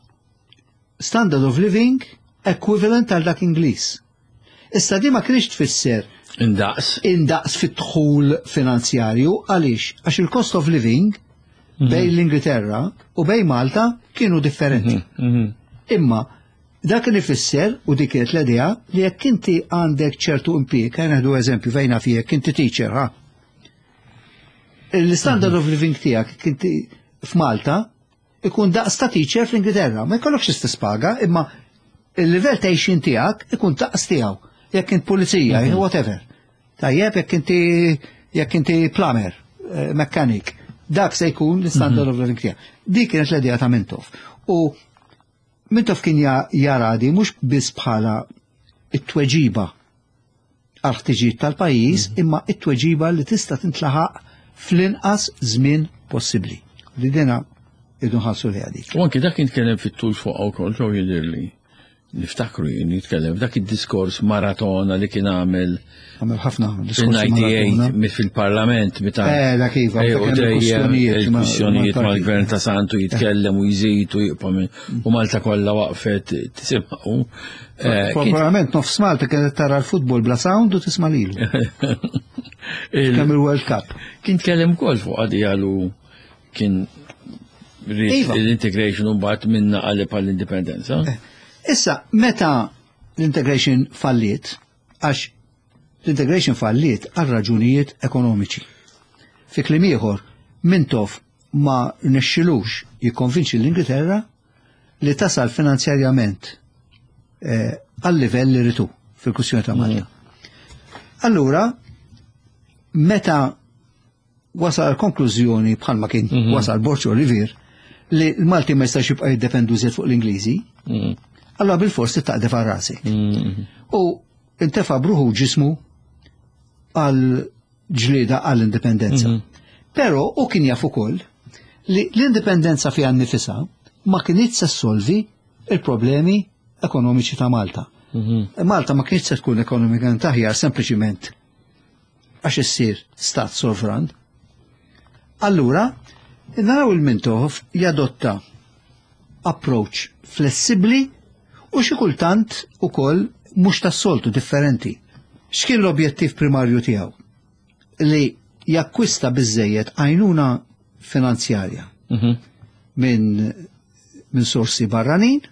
standard of living equivalent għal dak Ingliż. Issa di ma kienx tfisser Indaqs. Indaqs fit-dħul finanzjarju, għaliex? Għax il-cost of living bejn l-Ingilterra u bejn Malta kienu differenti. Imma dak li ifisser, u dik kienet l-idea, li jekk inti għandek ċertu impjieg, ħa nieħdu eżempju fejn naf jekk inti teacher, ha? Il-standard of living tiegħek jekk inti f'Malta ikun daqs ta' teacher fl-Ingilterra. Ma jkollokx istess paga, imma il-livell ta' għixien tiegħek ikun daqs tiegħu. Jekk int pulizija, whatever. Tajjeb, jekk inti plumber, mechanic, dak se jkun l-standard of living tiegħek. Dik kienet l-idea ta' Mintoff. U Mintoff kien jara di mhux biss bħala it-tweġiba għal ħtiġijiet tal-pajjiż, imma it-tweġiba li tista' tintlaħaq fl-inqas żmien possibbli. Li dina idu nħarsu li dik. U anki dak jitkellem fit-tul fuq ukoll ġew jidhirli. Niftakru jien jitkellem f'dak id-diskors maratona li kien għamel Għamel ħafna diskorsi fil-98 maratona. Fil-parlament meta Dak iva, u dak hemm dejjem il-kwistjonijiet il-kwistjonijiet mal-partit. mal-gvern ta' Santu jitkellem u jżid u jibqa' u Malta kollha waqfet tisimgħu. Probabbilment nofs Malta kienet tara l-futbol bla sound u tisma' lilu. Kemm il-World Cup. Kien tkellem ukoll fuq għadi għalu kien rrid l-integration u mbagħad minna qaleb għall-indipendenza. Issa, meta l-integration falliet, għax l-integration falliet għal raġunijiet ekonomiċi. Fi kliem ieħor, Mintoff ma rnexxilux jikkonvinċi l-Ingilterra li tasal finanzjarjament għal livell li ritu fil-kwistjoni ta' Malta. Allura, meta wasal għal konklużjoni bħalma kien wasal Borg Olivier li l-Malti ma jistax jibqa' jiddependu żejjed fuq l-Ingliżi, allura bil-forsi taqdef għal rasek. U intefa' bruħu ġismu għal ġlieda għall-indipendenza. Però u kien jaf ukoll Li l-indipendenza fiha nnifisha ma kinitx se ssolvi il-problemi ekonomiċi ta' Malta. Malta ma kienx se tkun ekonomikament aħjar sempliċiment għax issir stat sovran. Allura, naraw il-Mintoff jadotta approach flessibbli u xi kultant ukoll mhux tas-soltu differenti. X'kien l-objettiv primarju tiegħu? Li jakkwista biżejjed għajnuna finanzjarja minn sorsi barranin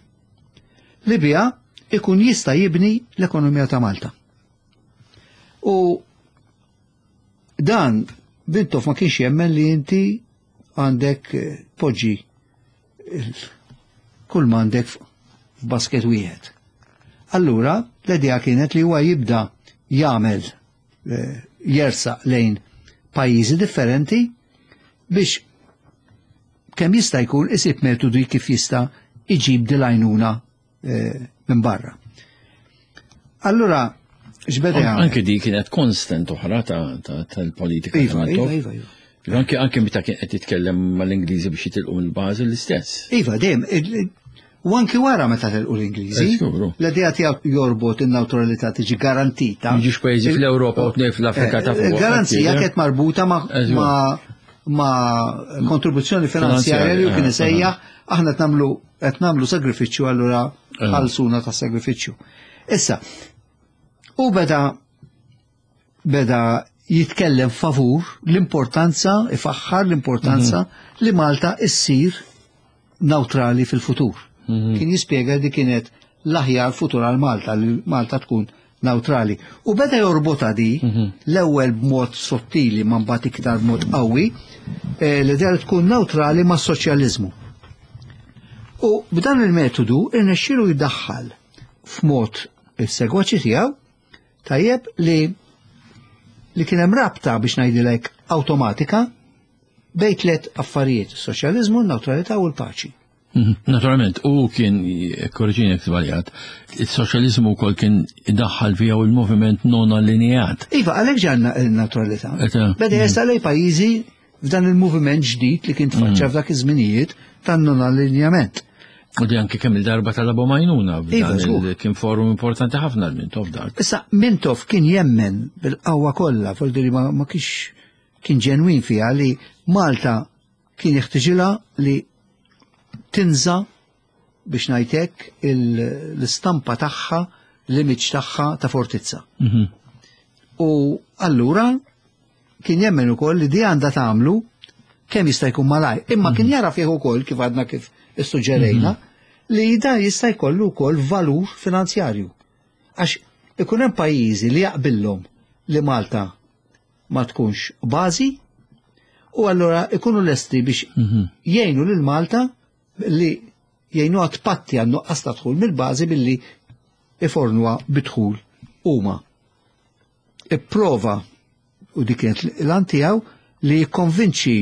li biha ikun jista' jibni l-ekonomija ta' Malta. U dan Mintoff ma kienx jemmen li inti għandek poġġi kull ma għandek f'basket wieħed. Allura l-idea kienet li huwa jibda jagħmel jersaq lejn pajjiżi differenti biex kemm jista' jkun isib metodi kif jista' iġib dil-għajnuna minn barra. Allura, x'beda jagħmel? Anke di kienet konstant oħra tal-politika Iva, ta' iva, Mintoff. iva, iva. Anke meta kien qed jitkellem mal-Ingliżi biex jitilqu mill-bażi l-istess. Iva, dejjem, u anki wara meta telqu l-Ingliżi, l-idea tiegħu jorbot in-newtralità tiġi garantita. Jiġux pajjiżi fl-Ewropa u tnejn fl-Afrika ta' fuq. Il-garanzija kienet marbuta ma' kontribuzzjoni finanzjarja li kien isejjaħ aħna qed nagħmlu sagrifiċċju, allura ħalsuna ta' sagrifiċċju. Issa, u beda jitkellem favur l-importanza, ifaħħar l-importanza li Malta issir neutrali fil-futur. Kien jispjega li kienet l-aħjar futur għal Malta, li Malta tkun neutrali. U beda jorbota di l-ewwel b'mod sottili ma mbagħad iktar b'mod qawwi, l-idea li tkun neutrali ma' soċjaliżmu. U b'dan il-metodu irnexxielu jdaħħal f'mod is-segwaċi tiegħu tajjeb li kien hemm rabta biex ngħidilek awtomatika bejn tliet affarijiet, is-soċjaliżmu, n-neutralità u l-paċi. Naturalment, u kien, korreġini jekk żbaljat, il-soċjaliżmu wkoll kien idaħħal fiha u l-moviment non allineat. Iva, għalhekk ġanna n-neutralità. Beda jesal lejn pajjiżi f'dan il-moviment ġdid li kien tfaċċa f'dak iż-żminijiet tan-non allineament. U di anke kemm il-darba talabhom għajnuna f'dan Iva, żgur. kien forum importanti ħafna l-Mintoff dak. Issa, Mintoff kien jemmen bil-qawwa kollha, vuol dire ma kienx kien ġenwin fiha li Malta kien jeħtieġilha li tinża biex ngħidlek l-istampa tagħha, l-image tagħha ta' fortizza. U allura kien jemmen ukoll li di għandha tagħmlu kemm jista' jkun malaj. Imma kien jara fih ukoll kif għadna kif issuġġerejna li dan jista' jkollu wkoll valur finanzjarju. Għax ikun hemm pajjiżi li jaqbillhom li Malta ma tkunx bażi u allura ikunu lesti biex jgħinu lil Malta li jgħinuha tpatti għan nuqqas ta' dħul mill-bażi billi ifornuha bidħul huma. Ipprova, u dik kienet l-għan tiegħu, li jikkonvinċi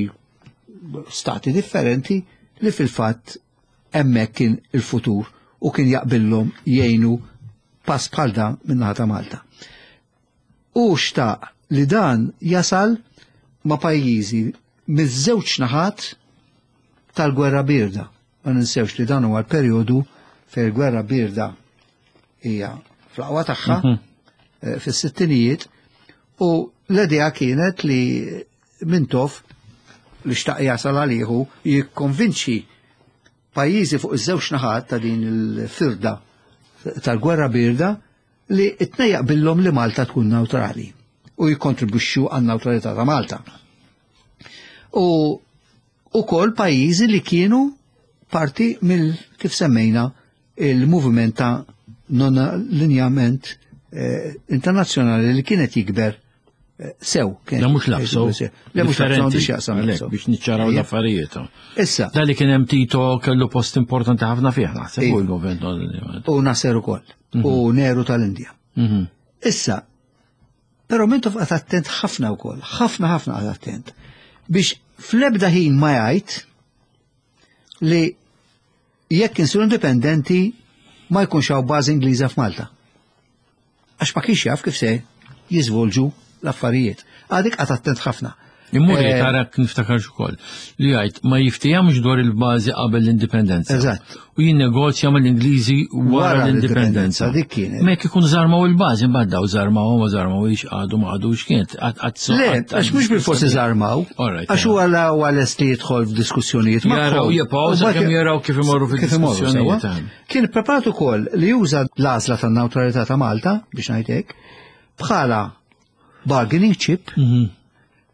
stati differenti li fil-fatt hemmhekk kien il-futur u kien jaqbillhom jgħinu pass bħal dan min-naħa ta' Malta. U xtaq li dan jasal ma' pajjiżi miż-żewġ naħat tal-gwerra birda. Ma ninsewx li dan huwa l-perjodu fejn il-gwerra birda hija fl-aqwa tagħha fis-sittinijiet, u l-idea kienet li Mintoff li xtaq jasal għalihu jikkonvinċi pajjiżi fuq iż-żewġ naħat ta' din il-firda tal-gwerra birda li t-tnejn jaqbillhom li Malta tkun neutrali u jikkontribwixxu għan-neutralità ta' Malta. U ukoll pajjiżi li kienu parti mill, kif semmejna, il-moviment ta' non-allineament internazzjonali li kienet jikber sew. Kienet La mhux l-APSO. jikber sew. Le mhux l-APSO, Differenti. biex jaqsam Għalhekk, l-APSO. biex niċċaraw l-affarijiet. Issa. Da li kien hemm Tito kellu post importanti ħafna fih, naħseb, Iva. u l-moviment non-allineament. U Nasser ukoll. U Nehru tal-Indja. Issa, però Mintoff qagħad attent ħafna wkoll, ħafna ħafna qagħad attent, biex fl-ebda ħin ma jgħid li jekk insiru indipendenti ma jkunx hawn bażi Ingliża f'Malta. Għax ma kienx jaf kif se jiżvolġu l-affarijiet. Għadik qagħad attent ħafna. Immur eh, tarak niftakar ukoll li jgħid ma jiftijamx dwar il-bażi qabel l-indipendenza. Eżatt. U jinnegozja mal-Ingliżi wara l-indipendenza. Dik kienet. Mek ikun żarmaw il-bażi mbagħad daw żarmaw ma żarmaw ix għadu ma għadux kienet Le, għax mhux bil-forsi żarmaw. Għax huwa la huwa lest li jidħol f'diskussjonijiet Jaraw jibqgħu sakemm jaraw kif imorru fid-diskussjonijiet. Kien preparat ukoll li juża l-għażla tan-newtralità ta' Malta biex ngħid hekk bħala bargaining chip mhm.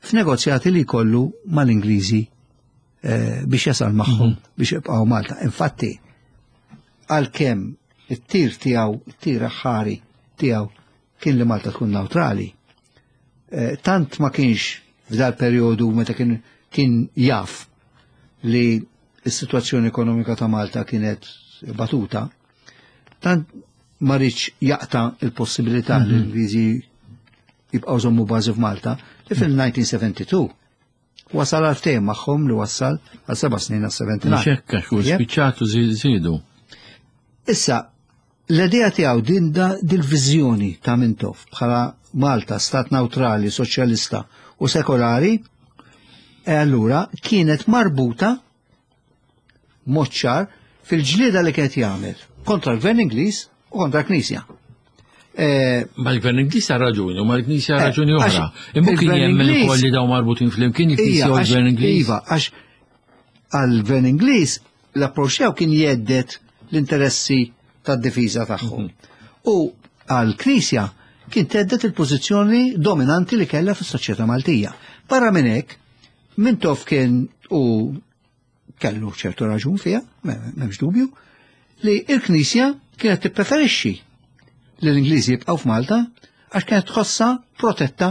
f'negozjati li jkollu mal-Ingliżi eh, biex jasal magħhom mhm. biex jibqgħu Malta. Infatti, għalkemm it-tir tiegħu, it-tir aħħari tiegħu kien li Malta tkun neutrali. Eh, tant ma kienx f'dal perjodu meta kien kien jaf li s-situazzjoni ekonomika ta' Malta kienet batuta, tant ma rridx jaqta' il-possibilità li mhm. l-Ingliżi jibqgħu żommu bażi f'Malta li fil-1972 wasal għal ftehim magħhom li wassal għal seba' snin għal 79. Xekka xu spiċċatu żiedu. Issa, l-idea tiegħu din dil-viżjoni ta' Mintoff bħala Malta stat neutrali, soċjalista u sekolari, e allura kienet marbuta mod ċar fil-ġlieda li kienet jagħmel kontra l-Gvern Ingliż u kontra l-Knisja. Eh, ma l-Gvern Ingliż ha raġuni u ma l-Knisja eh, raġuni oħra. Imma kien jemmen ukoll li daw marbutin flimkien il-Knisja u l-Gvern Ingliż. Iva, għax għall-Gvern Ingliż l-approċċ kien jeddet l-interessi tad-difiża tagħhom. Mhm. U għall-Knisja kien teddet il-pożizzjoni dominanti li kellha fis-soċjetà Maltija. Barra minn hekk, Mintoff kien u kellu ċertu raġun fiha, m'hemmx dubju, li l-Knisja kienet tippreferixxi li l-Ingliżi jibqgħu f'Malta għax kienet tħossha protetta.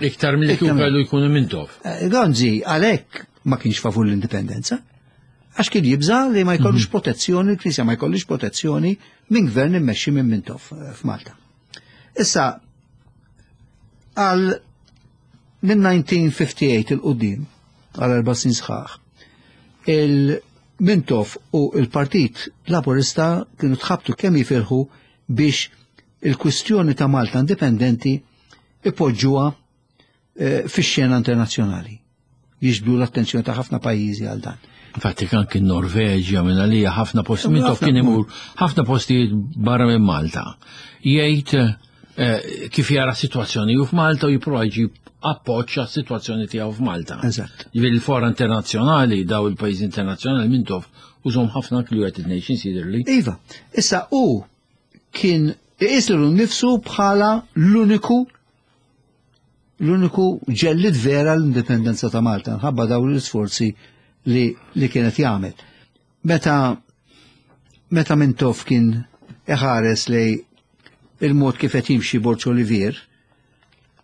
Iktar milli kieku kellu jkunu Mintoff. Eh, Gonzi għalhekk ma kienx favur l-indipendenza. Għax kien jibża li ma jkollux mhm. protezzjoni, l-Knisja ma jkollux protezzjoni minn gvern immexxi minn Mintoff eh, f'Malta. Issa, għal minn 1958 il-qoddim, għal erba' snin sħaħ, il-Mintoff u il-Partit Laburista kienu tħabtu kemm jifirħu biex il-kwistjoni ta' Malta indipendenti ipoġġuha eh, fix-xena internazzjonali. Jiġbdu l-attenzjoni ta' ħafna pajjiżi għal dan. Infatti anki n-Norveġja minn għalija ħafna postijiet, minn kien imur ħafna postijiet barra minn Malta. Jgħid eh, kif jara situazzjoni u f'Malta u jipprova jġib appoġġ għas-sitwazzjoni tiegħu f'Malta. Eżatt. Jiġifieri l-fora internazzjonali daw il-pajjiżi internazzjonali minn tof użhom ħafna anki l-United Nations jidhirli. Iva, issa u kien iqis lilu nnifsu bħala l-uniku l-uniku ġellid vera l-indipendenza ta' Malta, nħabba dawn l-isforzi li, li kienet jagħmel. Meta meta Mintoff kien iħares lej il-mod kif qed jimxi Borġ Olivier,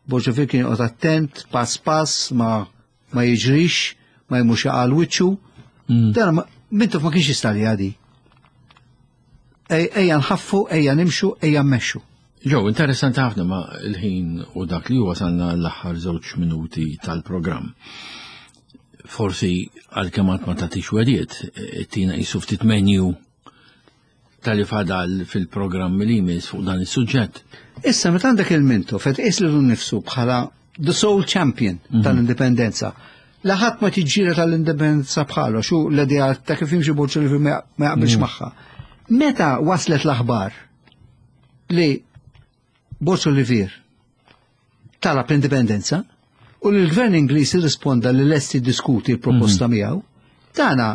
Borġ Olivier kien joqgħod attent, pass pass, ma, ma jiġrix, ma jmux jaqal wiċċu. Mm. Dan Mintoff ma kienx jista' li għadi. Ejja nħaffu, ejja nimxu, ejja mmexxu. Ġew, interessanti ħafna ma l-ħin u dak li wasalna l-aħħar żewġ minuti tal-programm. Forsi għalkemm għad ma tagħtix wediet, tina qisu ftit menu tal-li fadal fil-programm li jmiss fuq dan is-suġġett. Issa meta għandek il-Mintoff qed iqis lilu nnifsu bħala the sole champion mhm. tal-indipendenza. Laħat ma tiġġiela tal-indipendenza bħalu, xu l-idea ta' kif jimxi Borġ li ma jaqbilx mhm. magħha. Meta waslet l-aħbar li Borġ Olivier talab l-indipendenza u li l-gvern Ingliż irrisponda li lest jiddiskuti l-proposta mhm. miegħu, dana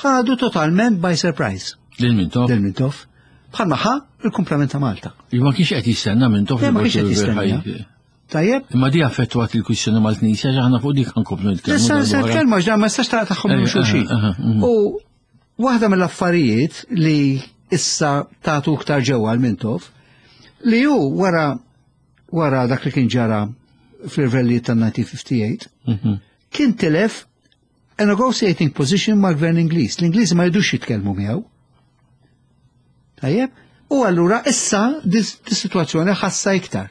ħadu totalment by surprise. Lil Mintoff? Lil Mintoff. Bħalma ħa il-kumplament ta' Malta. Ma kienx qed jistenna Mintoff. Ma kienx qed jistenna. Tajjeb? Imma di affettwat il-kwistjoni mal-Knisja aħna fuq dik ħankomplu nitkellmu. Issa se nitkellmu għax ma jistax taqtagħhom minn eh, xulxin. Eh, eh, mm. U waħda mill-affarijiet li issa tagħtu iktar ġewwa għal Mintoff li hu wara wara dak li kien ġara fl-irvellijiet tan-1958 mhm. kien tilef a negotiating position mal-gvern Ingliż. L-Ingliżi ma jridux jitkellmu miegħu. Tajjeb? U allura issa dis-sitwazzjoni ħassa iktar.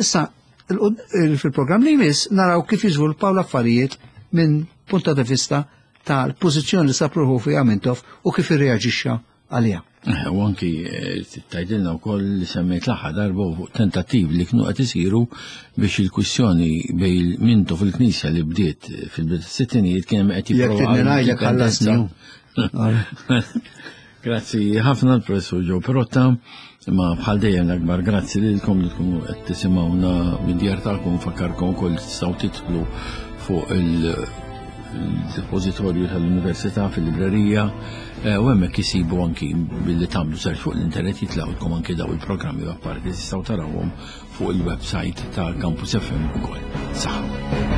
Issa fil-programm li jmiss naraw kif jiżviluppaw l-affarijiet minn punta di vista tal-pożizzjoni li sapruħu fiha Mintoff u kif irreaġixxa għaliha. Eh, u anki eh, tajdilna wkoll li semmejt l-aħħar darba fuq tentattiv li kienu qed isiru biex il-kwistjoni bej mintu fil-Knisja li bdiet fil-bidu sittinijiet kien hemm qed jipprova. Jekk ngħidlek ħallasni. Grazzi ħafna l-Professur Joe Perotta, ma bħal dejjem l-akbar grazzi lilkom li tkunu qed tisimgħuna mid-djar tagħkom fakkarkom ukoll tistgħu tidħlu fuq il-depozitorju tal-Università fil-librerija eh, u hemmhekk isibu anki billi tagħmlu search fuq l-internet jitlgħulkom anki daw il-programmi apparti tistgħu tarawhom fuq il-website ta' Campus FM ukoll. Saħħa.